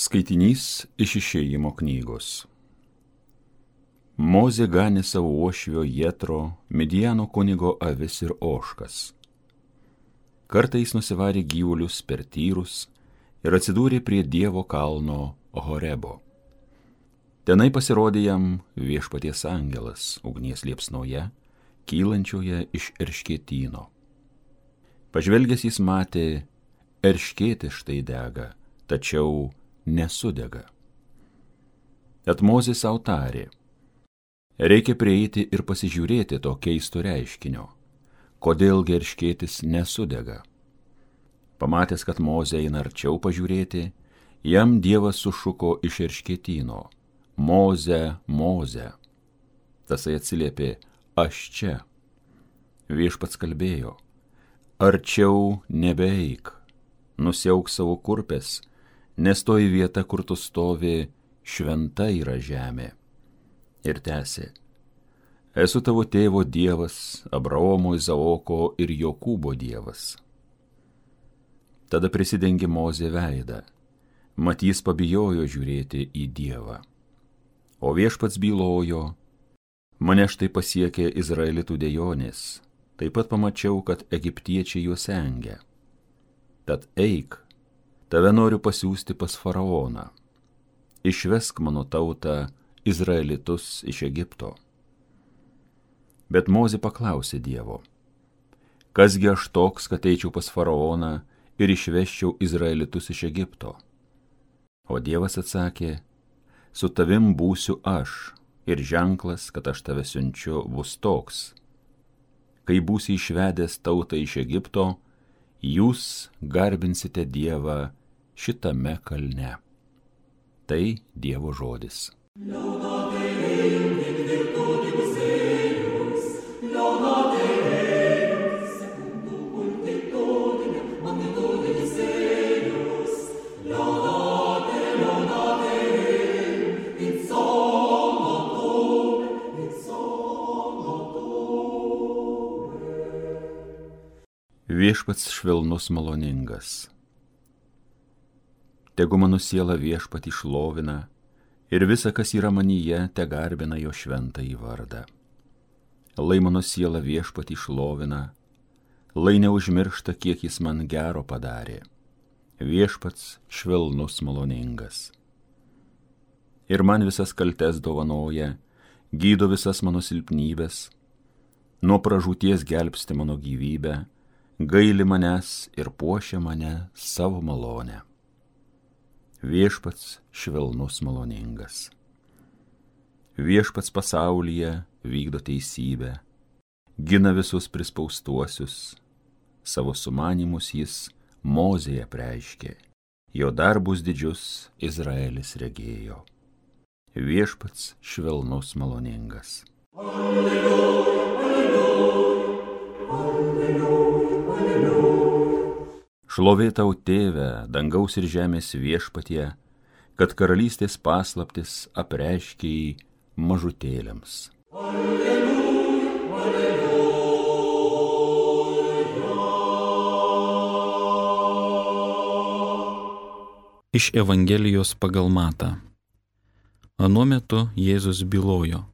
Skaitinys iš Išėjimo knygos. Mozė ganė savo uošvio Jetro, Midjano kunigo avis ir ožkas. Kartais nusivarė gyvulius per tyrus ir atsidūrė prie Dievo kalno Horebo. Tenai pasirodė jam Viešpaties angelas ugnies liepsnoje, kylančioje iš erškėtyno. Pažvelgęs jis matė, erškėtis štai dega, tačiau nesudega. Tad Mozė sau tarė, reikia prieiti ir pasižiūrėti to keisto reiškinio, kodėl erškėtis nesudega. Pamatęs, kad Mozė eina arčiau pažiūrėti, jam Dievas sušuko iš erškėtyno, Moze, Moze. Tasai atsiliepė, aš čia. Viešpats kalbėjo, arčiau nebeeik, nusiauk savo kurpes, nes toji vieta, kur tu stovi, šventa yra žemė. Ir tęsė, esu tavo tėvo Dievas, Abraomo, Izaoko ir Jokūbo Dievas. Tada prisidengė Mozė veidą, mat jis pabijojo žiūrėti į Dievą. O Viešpats bylojo, mane štai pasiekė Izraelitų dejonės, taip pat pamačiau, kad egiptiečiai juos engia. Tad eik, tave noriu pasiųsti pas faraoną. Išvesk mano tautą Izraelitus iš Egipto. Bet Mozė paklausė Dievo, kasgi aš toks, kad eičiau pas faraoną ir išveščiau Izraelitus iš Egipto? O Dievas atsakė, su tavim būsiu aš, ir ženklas, kad aš tave siunčiu, bus toks. Kai būsi išvedęs tautą iš Egipto, jūs garbinsite Dievą šitame kalne. Tai Dievo žodis. Viešpats švelnus maloningas. Tegu mano siela Viešpatį šlovina ir visa, kas yra manyje, te garbina jo šventąjį vardą. Lai mano siela Viešpatį šlovina, lai neužmiršta, kiek jis man gero padarė. Viešpats švelnus maloningas. Ir man visas kaltes dovanoja, gydo visas mano silpnybės, nuo pražūties gelbsti mano gyvybę, gaili manęs ir puošia mane savo malonę. Viešpats švelnus maloningas. Viešpats pasaulyje vykdo teisybę, gina visus prispaustuosius, savo sumanymus jis Mozėje apreiškė, jo darbus didžius Izraelis regėjo. Viešpats švelnus maloningas. Alleluja, alleluja, alleluja. Šlovė tau, Tėve, dangaus ir žemės Viešpatie, kad karalystės paslaptis apreiškei mažutėliams. Alleluja, alleluja. Iš Evangelijos pagal Matą. Anuo metu Jėzus bylojo,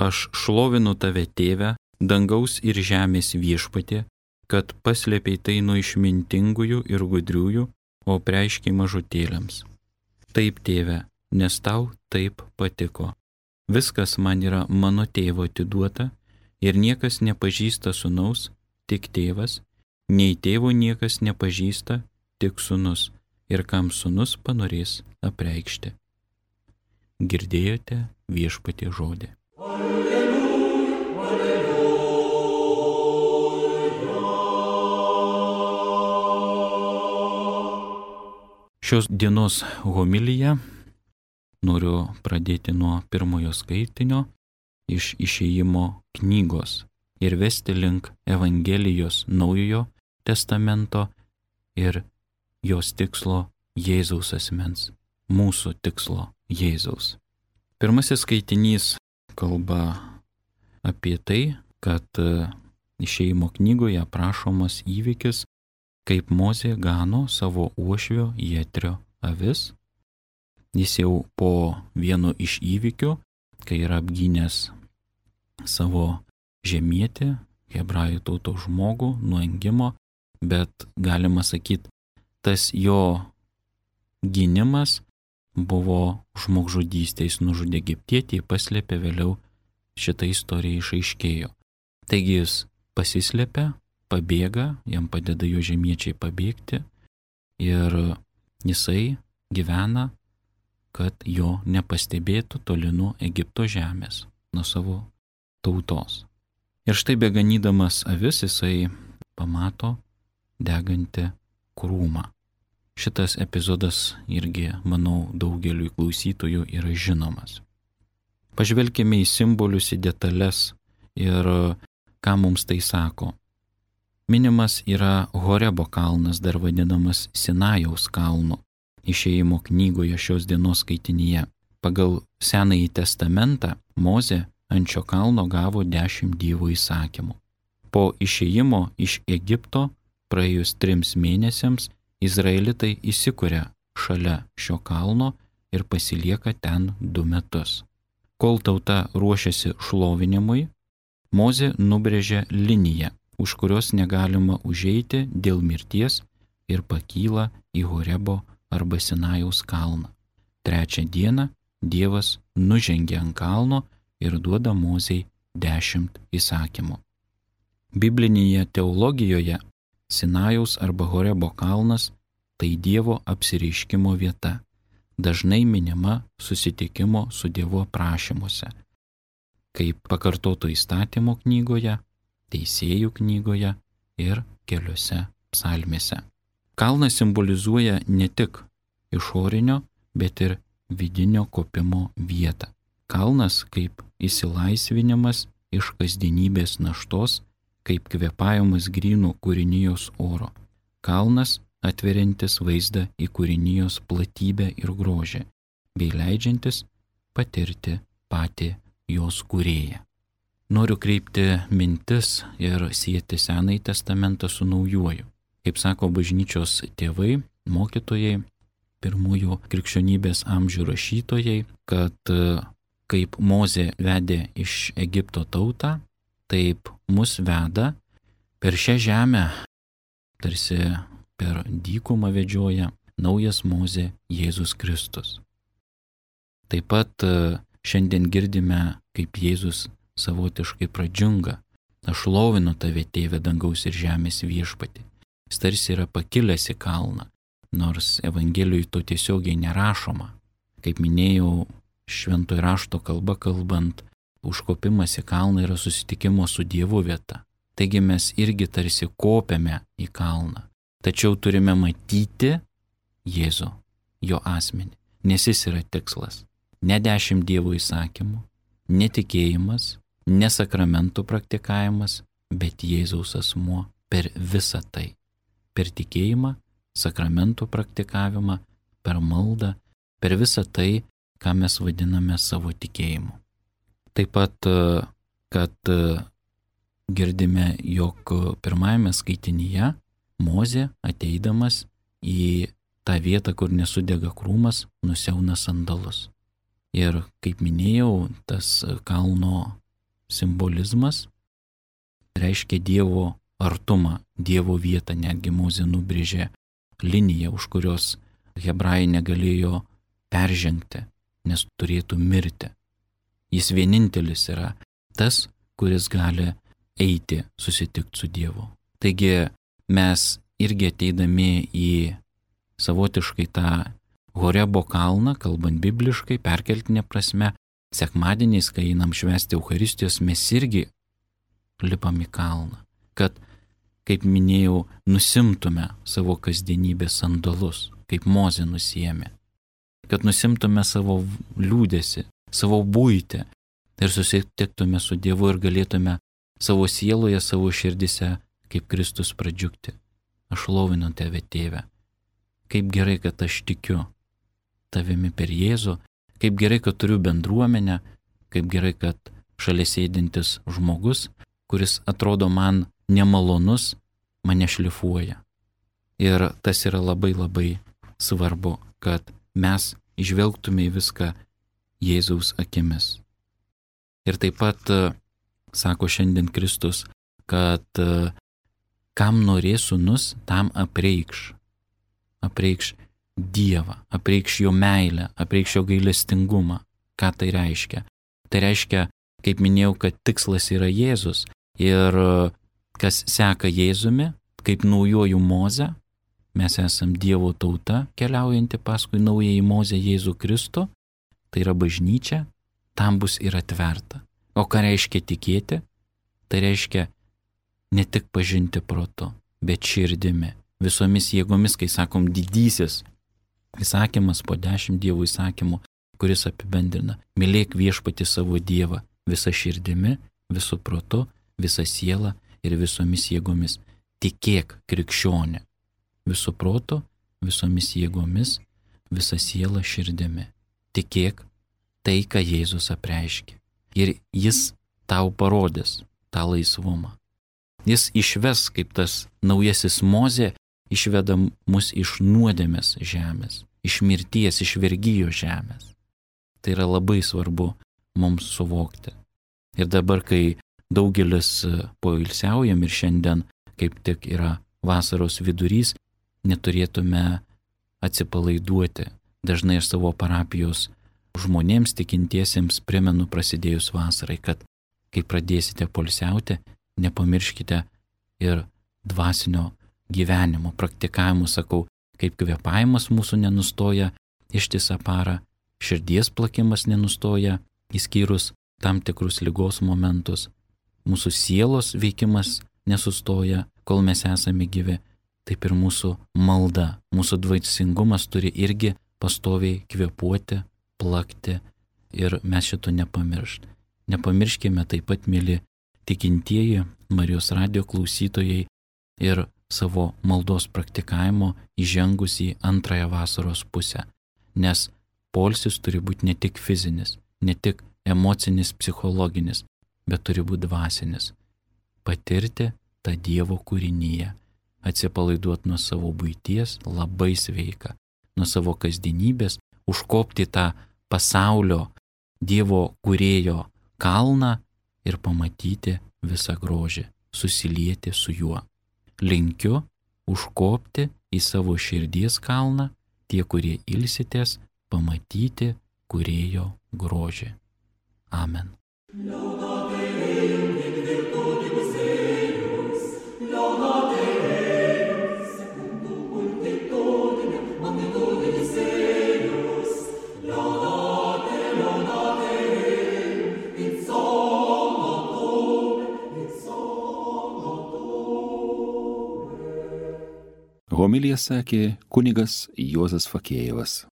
aš šlovinu tave, Tėve, dangaus ir žemės Viešpatie, kad paslėpei tai nuo išmintingųjų ir gudriųjų, o apreiškei mažutėliams. Taip, Tėve, nes tau taip patiko. Viskas man yra mano tėvo atiduota, ir niekas nepažįsta sūnaus, tik tėvas, nei tėvo niekas nepažįsta, tik sūnus, ir kam sūnus panorės apreikšti. Girdėjote Viešpatie žodį. Šios dienos homiliją noriu pradėti nuo pirmojo skaitinio iš Išėjimo knygos ir vesti link Evangelijos Naujojo testamento ir jos tikslo Jėzaus asmens, mūsų tikslo Jėzaus. Pirmasis skaitinys kalba apie tai, kad Išėjimo knygoje aprašomas įvykis, kaip Mozė gano savo uošvio Jetrio avis jis jau po vieno iš įvykių, kai yra apgynęs savo žemietį, hebrajų tautos žmogų nuo engimo, bet galima sakyti, tas jo gynimas buvo žmogžudystė, jis nužudė egiptietį, paslėpė, vėliau šitą istoriją išaiškėjo. Taigi jis pasislėpia, pabėga, jam padeda jo žemiečiai pabėgti ir jisai gyvena, kad jo nepastebėtų toli nuo Egipto žemės, nuo savo tautos. Ir štai beganydamas avis jisai pamato degantį krūmą. Šitas epizodas irgi, manau, daugeliui klausytojų yra žinomas. Pažvelkime į simbolius, į detalės ir ką mums tai sako. Minimas yra Horebo kalnas, dar vadinamas Sinajaus kalnu, Išėjimo knygoje šios dienos skaitinyje. Pagal Senąjį testamentą Mozė ant šio kalno gavo 10 Dievo įsakymų. Po išėjimo iš Egipto praėjus 3 mėnesiams izraelitai įsikuria šalia šio kalno ir pasilieka ten 2 metus. Kol tauta ruošiasi šlovinimui, Mozė nubrėžė liniją, už kurios negalima užeiti dėl mirties ir pakyla į Horebo arba Sinajaus kalną. 3 dieną Dievas nužengia ant kalno ir duoda Mozei 10 įsakymų. Biblinėje teologijoje Sinajaus arba Horebo kalnas tai Dievo apsireiškimo vieta, dažnai minima susitikimo su Dievu aprašymuose, kaip pakartoto įstatymo knygoje, teisėjų knygoje ir keliose psalmėse. Kalnas simbolizuoja ne tik išorinio, bet ir vidinio kopimo vietą. Kalnas kaip išsilaisvinimas iš kasdienybės naštos, kaip kvėpavimas grynų kūrinijos oro. Kalnas atveriantis vaizdą į kūrinijos platybę ir grožį, bei leidžiantis patirti patį jos kūrėją. Noriu kreipti mintis ir sieti Senąjį testamentą su Naujuoju. Kaip sako bažnyčios tėvai, mokytojai, pirmųjų krikščionybės amžių rašytojai, kad kaip Mozė vedė iš Egipto tautą, taip mus veda per šią žemę, tarsi per dykumą vedžioja naujas Mozė Jėzus Kristus. Taip pat šiandien girdime, kaip Jėzus savotiškai pradžiunga: aš šlovinu tave, Tėve, dangaus ir žemės viešpatį. Jis tarsi yra pakilęs į kalną, nors Evangelijoje to tiesiogiai nerašoma. Kaip minėjau, šventojo rašto kalba kalbant, užkopimas į kalną yra susitikimo su Dievu vieta. Taigi mes irgi tarsi kopiame į kalną. Tačiau turime matyti Jėzų, jo asmenį, nes jis yra tikslas. Ne 10 Dievo įsakymų, ne tikėjimas, ne sakramentų praktikavimas, bet Jėzaus asmuo per visą tai. Per tikėjimą, sakramentų praktikavimą, per maldą, per visą tai, ką mes vadiname savo tikėjimu. Taip pat, kad girdime, jog pirmajame skaitinyje Mozė, ateidamas į tą vietą, kur nesudega krūmas, nusiauna sandalus. Ir, kaip minėjau, tas kalno simbolizmas reiškia Dievo artumą, Dievo vietą. Netgi Mozė nubrėžė liniją, už kurios hebrajai negalėjo peržengti, nes turėtų mirti. Jis vienintelis yra tas, kuris gali eiti susitikti su Dievu. Taigi mes irgi ateidami į savotiškai tą Horebo kalną, kalbant bibliškai, perkeltinė prasme, sekmadieniais, kai einam švęsti Eucharistijos, mes irgi lipam į kalną, kad, kaip minėjau, nusimtume savo kasdienybės sandalus, kaip Mozė nusiėmė, kad nusimtume savo liūdesį, savo buitį ir susitiktume su Dievu ir galėtume savo sieloje, savo širdise, kaip Kristus pradžiugti. Aš šlovinu tave, Tėve. Kaip gerai, kad aš tikiu tavimi per Jėzų, kaip gerai, kad turiu bendruomenę, kaip gerai, kad šalia sėdintis žmogus, kuris atrodo man nemalonus, mane šlifuoja. Ir tas yra labai labai svarbu, kad mes išvelgtume į viską Jėzaus akimis. Ir taip pat sako šiandien Kristus, kad kam norės sūnus, tam apreikš Dievą, apreikš jo meilę, apreikš jo gailestingumą. Ką tai reiškia? Tai reiškia, kaip minėjau, kad tikslas yra Jėzus ir kas seka Jėzumi, kaip naujuoju Moze, mes esam Dievo tauta, keliaujanti paskui naująjį Mozę Jėzų Kristų, tai yra bažnyčia, tam bus ir atverta. O ką reiškia tikėti? Tai reiškia ne tik pažinti protu, bet širdimi, visomis jėgomis, kai sakom didysis įsakymas po 10 Dievo įsakymų, kuris apibendrina: mylėk viešpatį savo Dievą visą širdimi, visų protu, visą sielą ir visomis jėgomis. Tikėk, krikščionė, visų protu, visomis jėgomis, visą sielą, širdimi. Tikėk tai, ką Jėzus apreiškė. Ir jis tau parodys tą laisvumą. Jis išves, kaip tas naujasis Mozė, išveda mus iš nuodėmės žemės, iš mirties, iš vergijos žemės. Tai yra labai svarbu mums suvokti. Ir dabar, kai daugelis poilsiaujam ir šiandien kaip tik yra vasaros vidurys, neturėtume atsipalaiduoti. Dažnai aš savo parapijos žmonėms tikintiesiems primenu prasidėjus vasarai, kad kai pradėsite poilsiauti, nepamirškite ir dvasinio gyvenimo, praktikavimo, sakau, kaip kvėpavimas mūsų nenustoja ištisą parą, širdies plakimas nenustoja, išskyrus tam tikrus ligos momentus, mūsų sielos veikimas nesustoja, kol mes esame gyvi, taip ir mūsų malda, mūsų dvasingumas turi irgi pastoviai kvėpuoti, plakti ir mes šito nepamiršt. Nepamirškime taip pat, mėly tikintieji, Marijos radijo klausytojai, ir savo maldos praktikavimo įžengus į antrąją vasaros pusę. Nes poilsis turi būti ne tik fizinis, ne tik emocinis, psichologinis, bet turi būti dvasinis. Patirti tą Dievo kūrinyje, atsipalaiduoti nuo savo buities, labai sveika, nuo savo kasdienybės, užkopti tą pasaulio Dievo kūrėjo kalną ir pamatyti visą grožį, susilieti su juo. Linkiu užkopti į savo širdies kalną, tie, kurie ilsitės, pamatyti kūrėjo grožį. Amen. Homiliją sakė kunigas Juozas Fakėjevas.